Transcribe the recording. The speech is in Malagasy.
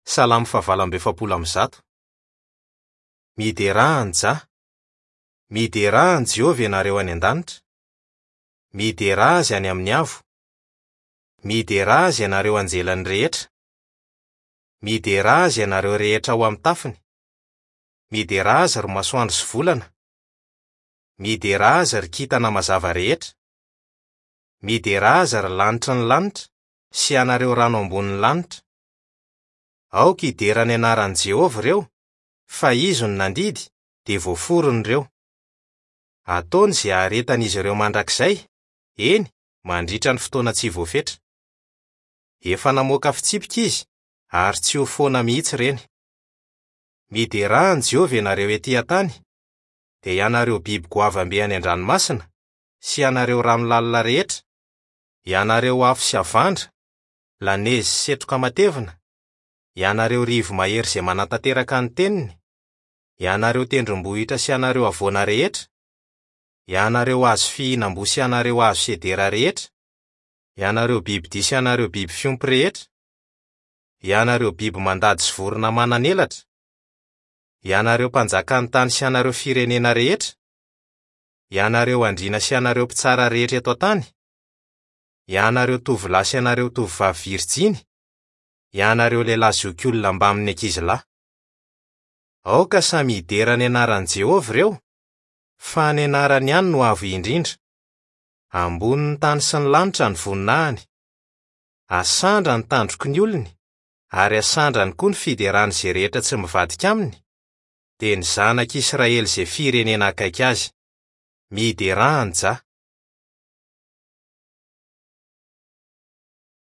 Salamo fahavalo amby 140. Miderà an'i Jah. Miderà an'i Jehovah ianareo any an-danitra. Miderà azy any amin'ny avo. Miderà azy ianareo anjelany rehetra. Miderà azy ianareo rehetra ao amin'ny tafiny. Miderà azy ry masoandro sy volana. Miderà azy ry kintana mazava rehetra. Miderà azy ry lanitry ny lanitra sy ianareo rano ambonin'ny lanitra. Aoka hidera ny anaran'i Jehovah ireo, fa izy no nandidy, dia voaforona ireo. Ataony izay haharetan'izy ireo mandrakizay, eny, mandritra ny fotoana tsy voafetra. Efa namoaka fitsipika izy, ary tsy ho foana mihitsy ireny. Miderà an'i Jehovah ianareo etỳ an-tany, dia ianareo biby goavam-be any an-dranomasina, sy ianareo rano lalina rehetra, ianareo afo sy havandra, lanezy sy setroka matevina, ianareo rivo-mahery izay manatanteraka ny teniny, ianareo tendrombohitra sy ianareo havoana rehetra, ianareo hazo fihinam-boa sy ianareo hazo sedera rehetra, ianareo bibidia sy ianareo biby fiompy rehetra, ianareo biby mandady sy vorona manan'elatra, ianareo mpanjakan'ny tany sy ianareo firenena rehetra, ianareo andriana sy ianareo mpitsara rehetra eto an-tany, ianareo tovolahy sy ianareo tovovavy virjiny, ianareo lehilahy zokiolona mbamin'ny ankizilahy. Aoka samy hidera ny anaran'i Jehovah ireo, fa ny anarany ihany no avo indrindra. Ambonin'ny tany sy ny lanitra ny voninahiny. Asandrany ny tandroky ny olony, ary asandrany koa ny fiderany izay rehetra tsy mivadika aminy, dia ny zanak'Israely izay firenena akaiky azy. Miderà an'i Jah.